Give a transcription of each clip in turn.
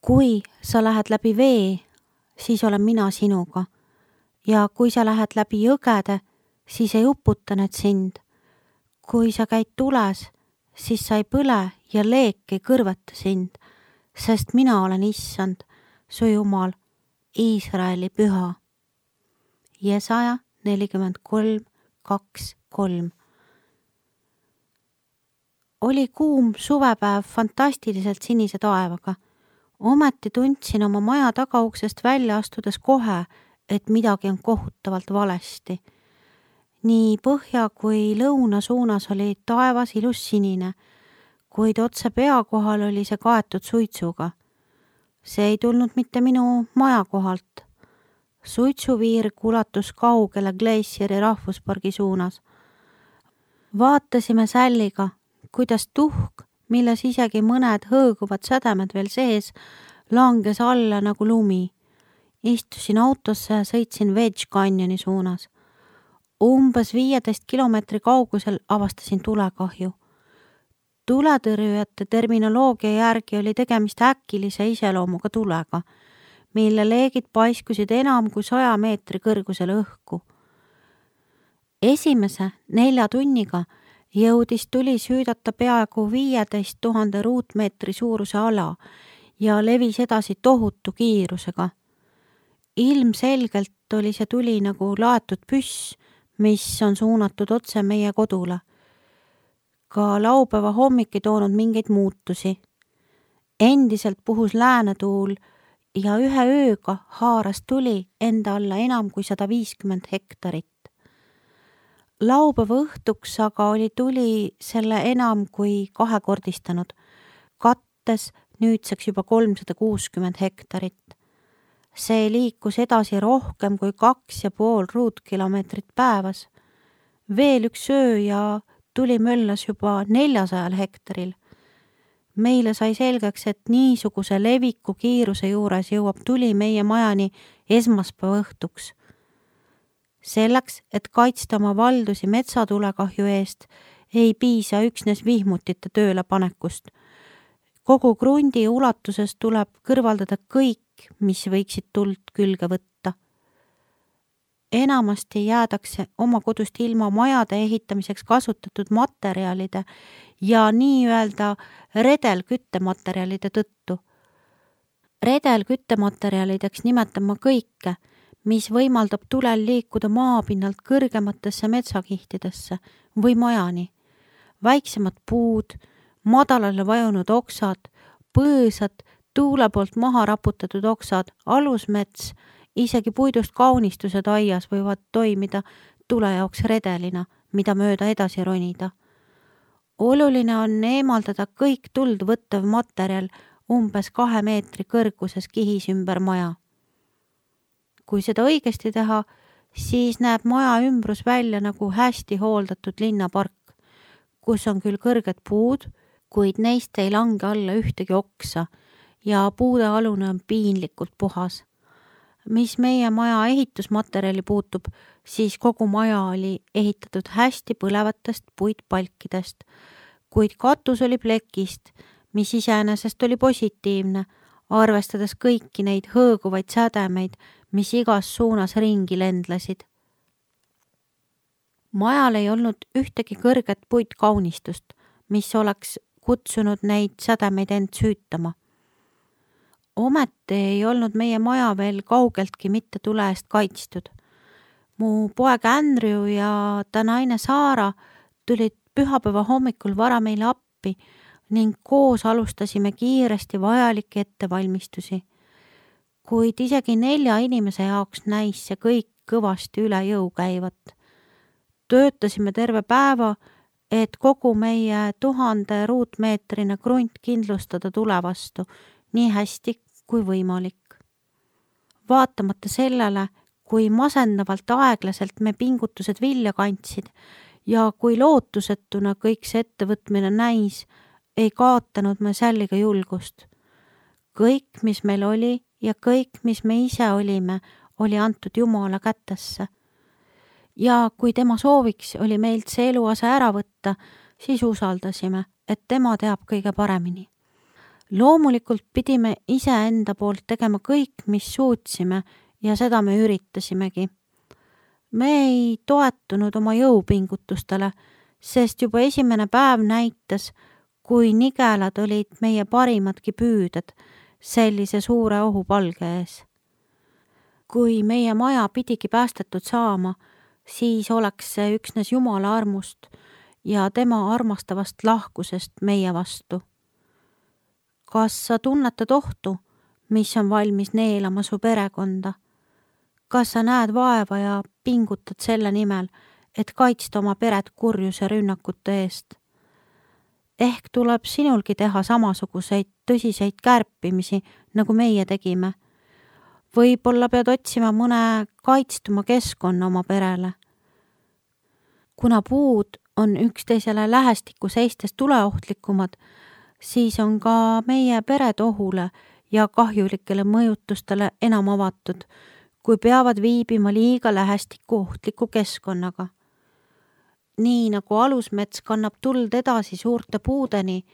Kui sa lähed läbi vee, siis olen mina sinuga. Ja kui sa lähed läbi jõgede, siis ei uputa need sind. Kui sa käid tules, siis sa ei põle ja leek ei kõrveta sind, sest mina olen Issand, su Jumal, Iisraeli püha. Jesaja 43:2-3. Oli kuum suvepäev fantastiliselt sinise taevaga. Ometi tundsin oma maja tagauksest välja astudes kohe, et midagi on kohutavalt valesti. Nii põhja kui lõuna suunas oli taevas ilus sinine, kuid otse pea kohal oli see kaetud suitsuga. See ei tulnud mitte minu maja kohalt. Suitsuviirg ulatus kaugele Glacieri rahvuspargi suunas. Vaatasime Sälliga, kuidas tuhk, milles isegi mõned hõõguvad sädemed veel sees, langes alla nagu lumi. Istusin autosse ja sõitsin Wedge Canyoni suunas. Umbes 15 kilomeetri kaugusel avastasin tulekahju. Tuletõrjujate terminoloogia järgi oli tegemist äkilise iseloomuga tulega, mille leegid paiskusid enam kui 100 meetri kõrgusele õhku. Esimese 4 tunniga jõudis tuli süüdata peaaegu 15 000 ruutmeetri suuruse ala ja levis edasi tohutu kiirusega. Ilmselgelt oli see tuli nagu laetud püss, mis on suunatud otse meie kodule. Ka laupäeva hommik ei toonud mingeid muutusi. Endiselt puhus läänetuul ja ühe ööga haaras tuli enda alla enam kui 150 hektarit. Laupäeva õhtuks aga oli tuli selle enam kui kahekordistanud, kattes nüüdseks juba 360 hektarit. See liikus edasi rohkem kui 2,5 ruutkilomeetrit päevas. Veel üks öö ja tuli möllas juba 400 hektaril. Meile sai selgeks, et niisuguse leviku kiiruse juures jõuab tuli meie majani esmaspäeva õhtuks. Selleks, et kaitsta oma valdusi metsatulekahju eest, ei piisa üksnes vihmutite tööle panekust. Kogu krundi ulatuses tuleb kõrvaldada kõik, mis võiksid tuld külge võtta. Enamasti jäädakse oma kodust ilma majade ehitamiseks kasutatud materjalide ja nii-öelda redelküttematerjalide tõttu. Redelküttematerjalideks nimetan ma kõike, mis võimaldab tulel liikuda maapinnalt kõrgematesse metsakihtidesse või majani. Väiksemad puud, madalale vajunud oksad, põõsad, tuule poolt maha raputatud oksad, alusmets, isegi puidust kaunistused aias võivad toimida tule jaoks redelina, mida mööda edasi ronida. Oluline on eemaldada kõik tuld võttev materjal umbes 2 meetri kõrguses kihis ümber maja. Kui seda õigesti teha, siis näeb maja ümbrus välja nagu hästi hooldatud linnapark, kus on küll kõrged puud, kuid neist ei lange alla ühtegi oksa ja puude alune on piinlikult puhas. Mis meie maja ehitusmaterjali puutub, siis kogu maja oli ehitatud hästi põlevatest puitpalkidest, kuid katus oli plekist, mis iseenesest oli positiivne, arvestades kõiki neid hõõguvaid sädemeid, mis igas suunas ringi lendlesid. Majal ei olnud ühtegi kõrget puitkaunistust, mis oleks kutsunud neid sädemeid end süütama. Ometi ei olnud meie maja veel kaugeltki mitte tule eest kaitstud. Mu poeg Andrew ja ta naine Saara tulid pühapäeva hommikul vara meile appi ning koos alustasime kiiresti vajalikke ettevalmistusi. Kuid isegi 4 inimese jaoks näis see kõik kõvasti üle jõu käivat. Töötasime terve päeva, et kogu meie 1000 ruutmeetrine krunt kindlustada tule vastu nii hästi kui võimalik. Vaatamata sellele, kui masendavalt aeglaselt me pingutused vilja kandsid ja kui lootusetuna kõik see ettevõtmine näis, ei kaotanud me Sälliga julgust. Kõik, mis meil oli ja kõik, mis me ise olime, oli antud Jumala kätesse. Ja kui tema sooviks oli meilt see eluase ära võtta, siis usaldasime, et tema teab kõige paremini. Loomulikult pidime iseenda poolt tegema kõik, mis suutsime ja seda me üritasimegi. Me ei toetunud oma jõupingutustele, sest juba esimene päev näitas, kui nigelad olid meie parimadki püüded sellise suure ohupalge ees. Kui meie maja pidigi päästetud saama, siis oleks see üksnes Jumala armust ja tema armastavast lahkusest meie vastu. Kas sa tunnetad ohtu, mis on valmis neelama su perekonda? Kas sa näed vaeva ja pingutad selle nimel, et kaitsta oma peret kurjuse rünnakute eest? Ehk tuleb sinulgi teha samasuguseid tõsiseid kärpimisi, nagu meie tegime. Võib-olla pead otsima mõne kaitstuma keskkonna oma perele. Kuna puud on üksteisele lähestikku seistes tuleohtlikumad, siis on ka meie pered ohule ja kahjulikele mõjutustele enam avatud, kui peavad viibima liiga lähestikku ohtliku keskkonnaga. Nii nagu alusmets kannab tuld edasi suurte puudeni,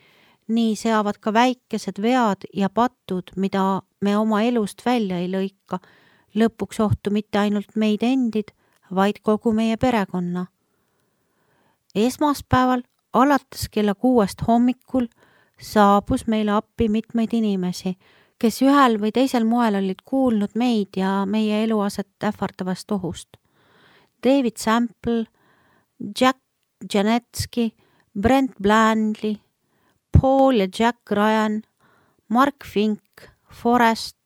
nii seavad ka väikesed vead ja patud, mida me oma elust välja ei lõika, lõpuks ohtu mitte ainult meid endid, vaid kogu meie perekonna. Esmaspäeval alates kella 6 hommikul saabus meile appi mitmeid inimesi, kes ühel või teisel moel olid kuulnud meid ja meie eluaset ähvardavast ohust. David Sample, Jack Janetski, Brent Blandley, Paul ja Jack Ryan, Mark Fink, Forrest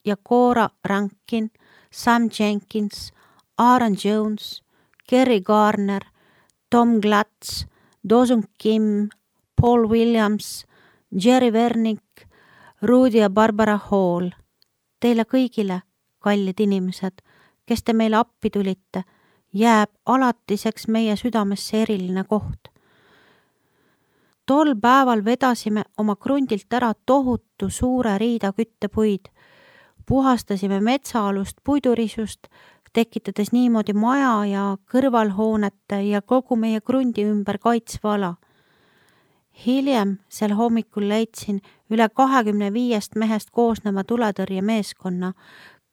ja Cora Rankin, Sam Jenkins, Aaron Jones, Kerry Garner, Tom Glatz, Dawson Kim, Paul Williams, Jerry Vernick, Rudy ja Barbara Hall. Teile kõigile, kallid inimesed, kes te meile appi tulite, jääb alatiseks meie südamesse eriline koht. Tol päeval vedasime oma krundilt ära tohutu suure riida küttepuid, puhastasime metsaalust puidurisust, tekitades niimoodi maja ja kõrvalhoonete ja kogu meie krundi ümber kaitsva ala. Hiljem sel hommikul leidsin üle 25 mehest koosneva tuletõrjemeeskonna,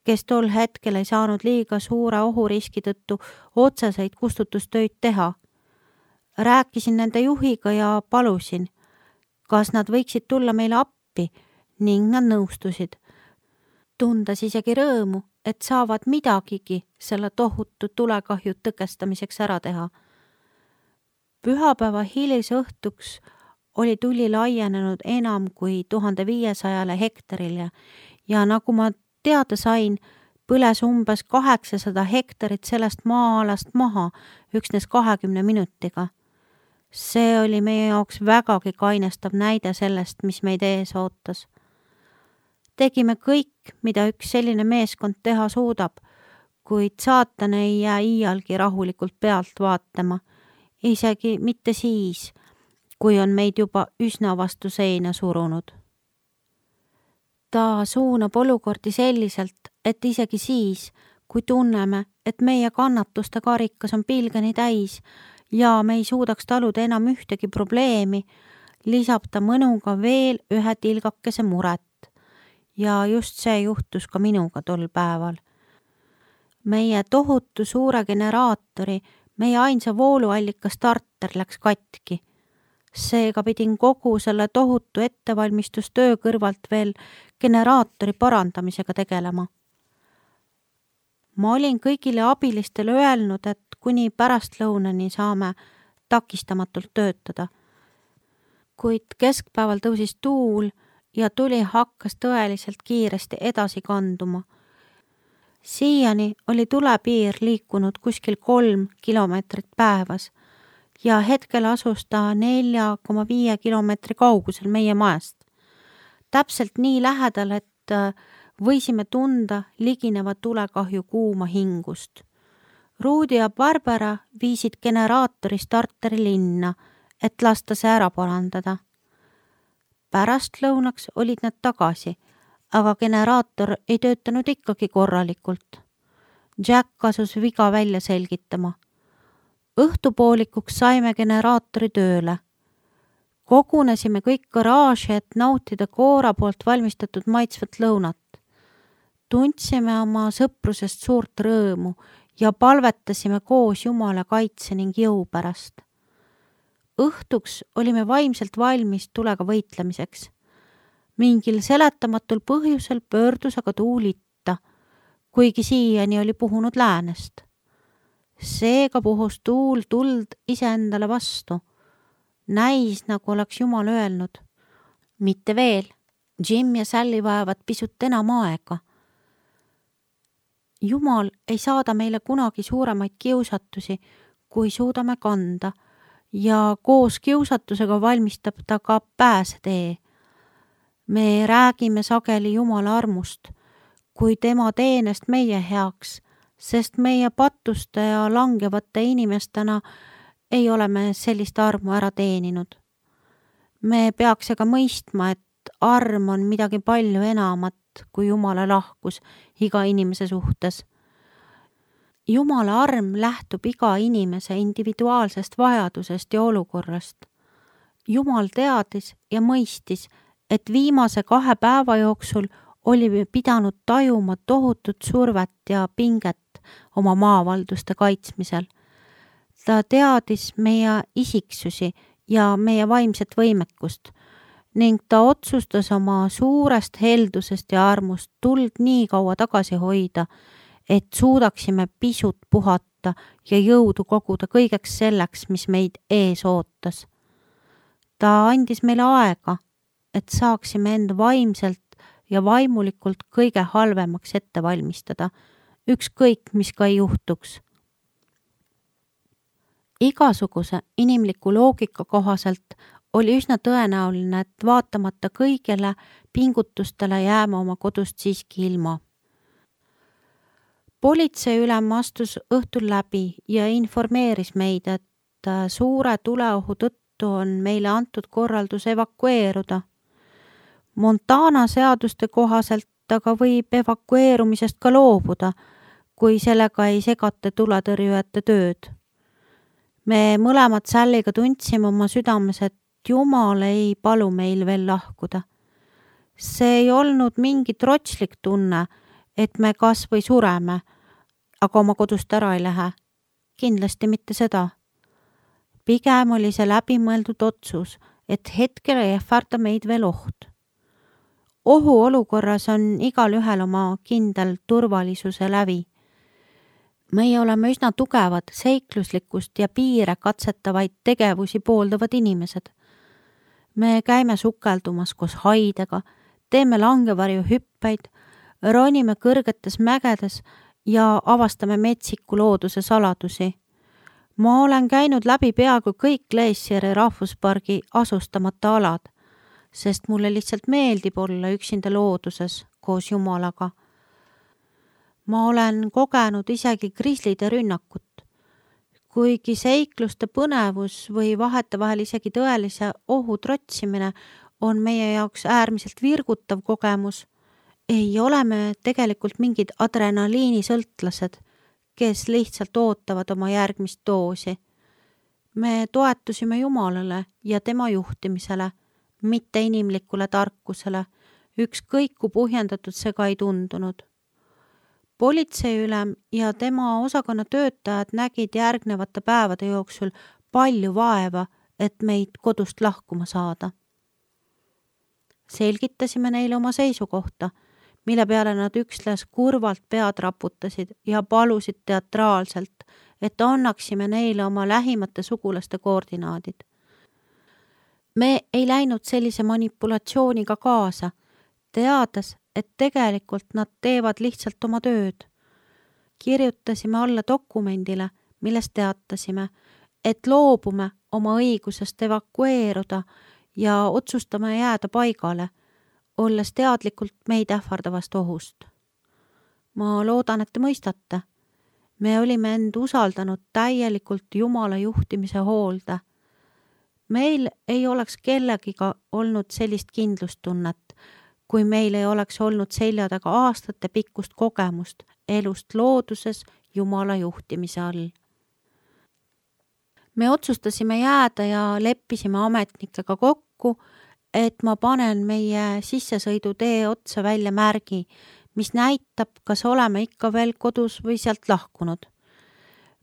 kes tol hetkel ei saanud liiga suure ohuriski tõttu otseseid kustutustöid teha. Rääkisin nende juhiga ja palusin, kas nad võiksid tulla meile appi ning nad nõustusid. Tundes isegi rõõmu, et saavad midagigi selle tohutu tulekahju tõkestamiseks ära teha. Pühapäeva hilisõhtuks oli tuli laienenud enam kui 1500 hektarile ja nagu ma teada sain, põles umbes 800 hektarit sellest maa-alast maha üksnes 20 minutiga. See oli meie jaoks vägagi kainestav näide sellest, mis meid ees ootas. Tegime kõik, mida üks selline meeskond teha suudab, kuid saatan ei jää iialgi rahulikult pealt vaatama, isegi mitte siis, kui on meid juba üsna vastu seina surunud. Ta suunab olukordi selliselt, et isegi siis, kui tunneme, et meie kannatuste karikas on pilgeni täis ja me ei suudaks taluda enam ühtegi probleemi, lisab ta mõnuga veel ühe tilgakese muret. Ja just see juhtus ka minuga tol päeval. Meie tohutu suure generaatori, meie ainsa vooluallika starter läks katki. Seega pidin kogu selle tohutu ettevalmistustöö kõrvalt veel generaatori parandamisega tegelema. Ma olin kõigile abilistele öelnud, et kuni pärastlõunani saame takistamatult töötada. Kuid keskpäeval tõusis tuul ja tuli hakkas tõeliselt kiiresti edasi kanduma. Siiani oli tulepiir liikunud kuskil 3 kilomeetrit päevas ja hetkel asus ta 4,5 kilomeetri kaugusel meie majast. Täpselt nii lähedal, et võisime tunda ligineva tulekahju kuuma hingust. Rudy ja Barbara viisid generaatori starteri linna, et lasta see ära parandada. Pärastlõunaks olid nad tagasi, aga generaator ei töötanud ikkagi korralikult. Jack asus viga välja selgitama. Õhtupoolikuks saime generaatori tööle. Kogunesime kõik garaaži, et nautida Koora poolt valmistatud maitsvat lõunat. Tundsime oma sõprusest suurt rõõmu ja palvetasime koos Jumala kaitse ning jõu pärast. Õhtuks olime vaimselt valmis tulega võitlemiseks. Mingil seletamatul põhjusel pöördus aga tuul itta, kuigi siiani oli puhunud läänest. Seega puhus tuul tuld iseendale vastu. Näis, nagu oleks Jumal öelnud. Mitte veel, Jim ja Sally vajavad pisut enam aega. Jumal ei saada meile kunagi suuremaid kiusatusi, kui suudame kanda, ja koos kiusatusega valmistab ta ka pääsetee. Me räägime sageli Jumala armust, kui tema teenest meie heaks, sest meie pattuste ja langevate inimestena ei ole me sellist armu ära teeninud. Me peaks aga mõistma, et arm on midagi palju enamat kui Jumala lahkus iga inimese suhtes. Jumala arm lähtub iga inimese individuaalsest vajadusest ja olukorrast. Jumal teadis ja mõistis, et viimase 2 päeva jooksul olime pidanud tajuma tohutut survet ja pinget oma maavalduste kaitsmisel. Ta teadis meie isiksusi ja meie vaimset võimekust ning ta otsustas oma suurest heldusest ja armust tuld nii kaua tagasi hoida, et suudaksime pisut puhata ja jõudu koguda kõigeks selleks, mis meid ees ootas. Ta andis meile aega, et saaksime end vaimselt ja vaimulikult kõige halvemaks ette valmistada, ükskõik mis ka ei juhtuks. Igasuguse inimliku loogika kohaselt oli üsna tõenäoline, et vaatamata kõigele pingutustele jääme oma kodust siiski ilma. Politseiülem astus õhtul läbi ja informeeris meid, et suure tuleohu tõttu on meile antud korraldus evakueeruda. Montana seaduste kohaselt aga võib evakueerumisest ka loobuda, kui sellega ei segata tuletõrjujate tööd. Me mõlemad Salliga tundsime oma südames, et Jumal ei palu meil veel lahkuda. See ei olnud mingi trotslik tunne, et me kas või sureme, aga oma kodust ära ei lähe. Kindlasti mitte seda. Pigem oli see läbimõeldud otsus, et hetkel ei ähvarda meid veel oht. Ohuolukorras on igal ühel oma kindel turvalisuse lävi. Meie oleme üsna tugevad, seikluslikkust ja piire katsetavaid tegevusi pooldavad inimesed. Me käime sukeldumas koos haidega, teeme langevarju hüppeid, ronime kõrgetes mägedes ja avastame metsiku looduse saladusi. Ma olen käinud läbi peaaegu kõik Glacieri rahvuspargi asustamata alad, sest mulle lihtsalt meeldib olla üksinda looduses koos Jumalaga. Ma olen kogenud isegi grislide rünnakut. Kuigi seikluste põnevus või vahetevahel isegi tõelise ohu trotsimine on meie jaoks äärmiselt virgutav kogemus, ei ole me tegelikult mingid adrenaliinisõltlased, kes lihtsalt ootavad oma järgmist doosi. Me toetusime Jumalale ja tema juhtimisele, mitte inimlikule tarkusele, ükskõik kui põhjendatud see ka ei tundunud. Politseiülem ja tema osakonna töötajad nägid järgnevate päevade jooksul palju vaeva, et meid kodust lahkuma saada. Selgitasime neile oma seisukohta, mille peale nad üksnes kurvalt pead raputasid ja palusid teatraalselt, et annaksime neile oma lähimate sugulaste koordinaadid. Me ei läinud sellise manipulatsiooniga kaasa, teades, et tegelikult nad teevad lihtsalt oma tööd. Kirjutasime alla dokumendile, milles teatasime, et loobume oma õigusest evakueeruda ja otsustame jääda paigale, olles teadlikult meid ähvardavast ohust. Ma loodan, et te mõistate. Me olime end usaldanud täielikult Jumala juhtimise hoolde. Meil ei oleks kellegiga olnud sellist kindlustunnet, kui meil ei oleks olnud selja taga aastate pikkust kogemust elust looduses Jumala juhtimise all. me otsustasime jääda ja leppisime ametnikega kokku, et ma panen meie sissesõidutee otsa välja märgi, mis näitab, kas oleme ikka veel kodus või sealt lahkunud.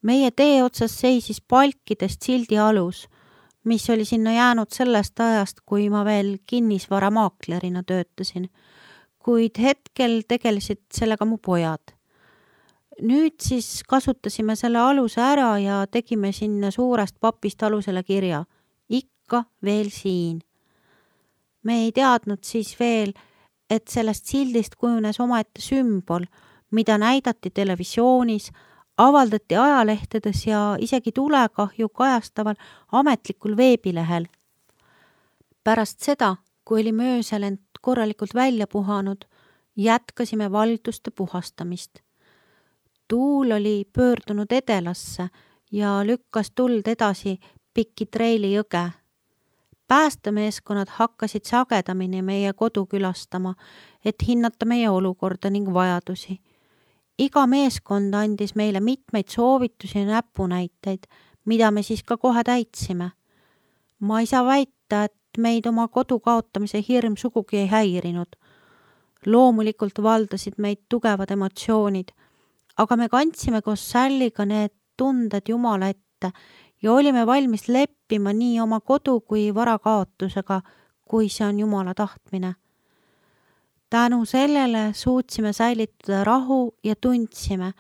Meie tee otsas seisis palkidest sildi alus, mis oli sinna jäänud sellest ajast, kui ma veel kinnisvaramaaklerina töötasin, kuid hetkel tegelesid sellega mu pojad. Nüüd siis kasutasime selle aluse ära ja tegime sinna suurest papist alusele kirja. Ikka veel siin. Me ei teadnud siis veel, et sellest sildist kujunes omaette sümbol, mida näidati televisioonis, avaldati ajalehtedes ja isegi tulekahju kajastaval ametlikul veebilehel. Pärast seda, kui oli mööselend korralikult välja puhanud, jätkasime valduste puhastamist. Tuul oli pöördunud edelasse ja lükkas tuld edasi pikki Treili jõge. Päästemeeskonnad hakkasid sagedamini meie kodu külastama, et hinnata meie olukorda ning vajadusi. Iga meeskond andis meile mitmeid soovitusi ja näpunäiteid, mida me siis ka kohe täitsime. Ma ei saa väita, et meid oma kodu kaotamise hirm sugugi ei häirinud. Loomulikult valdasid meid tugevad emotsioonid, aga me kandsime koos Salliga need tunded Jumala ette ja olime valmis leppima nii oma kodu kui vara kaotusega, kui see on Jumala tahtmine. Tänu sellele suutsime säilitada rahu ja tundsime,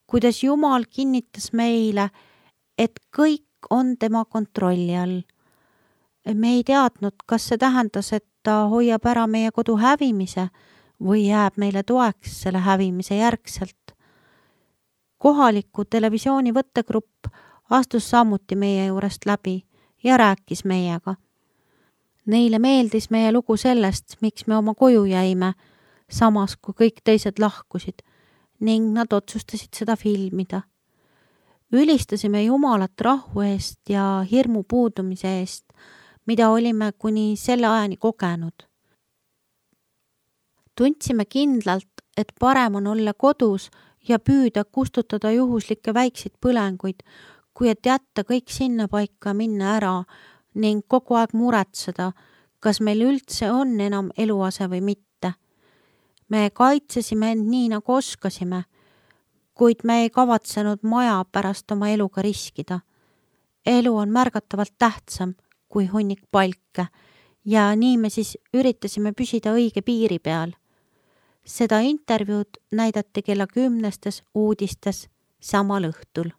kuidas Jumal kinnitas meile, et kõik on tema kontrolli all. Me ei teadnud, kas see tähendas, et ta hoiab ära meie kodu hävimise või jääb meile toeks selle hävimise järgselt. Kohaliku televisiooni võttegrupp astus samuti meie juurest läbi ja rääkis meiega. Neile meeldis meie lugu sellest, miks me oma koju jäime, samas kui kõik teised lahkusid, ning nad otsustasid seda filmida. Ülistasime Jumalat rahu eest ja hirmu puudumise eest, mida olime kuni selle ajani kogenud. Tundsime kindlalt, et parem on olla kodus ja püüda kustutada juhuslikke väikseid põlenguid, kui et jätta kõik sinna paika minna ära ning kogu aeg muretseda, kas meil üldse on enam eluase või mitte. Me kaitsesime end nii, nagu oskasime, kuid me ei kavatsenud maja pärast oma eluga riskida. Elu on märgatavalt tähtsam kui hunnik palke ja nii me siis üritasime püsida õige piiri peal. Seda intervjuud näidati kella 10 uudistes samal õhtul.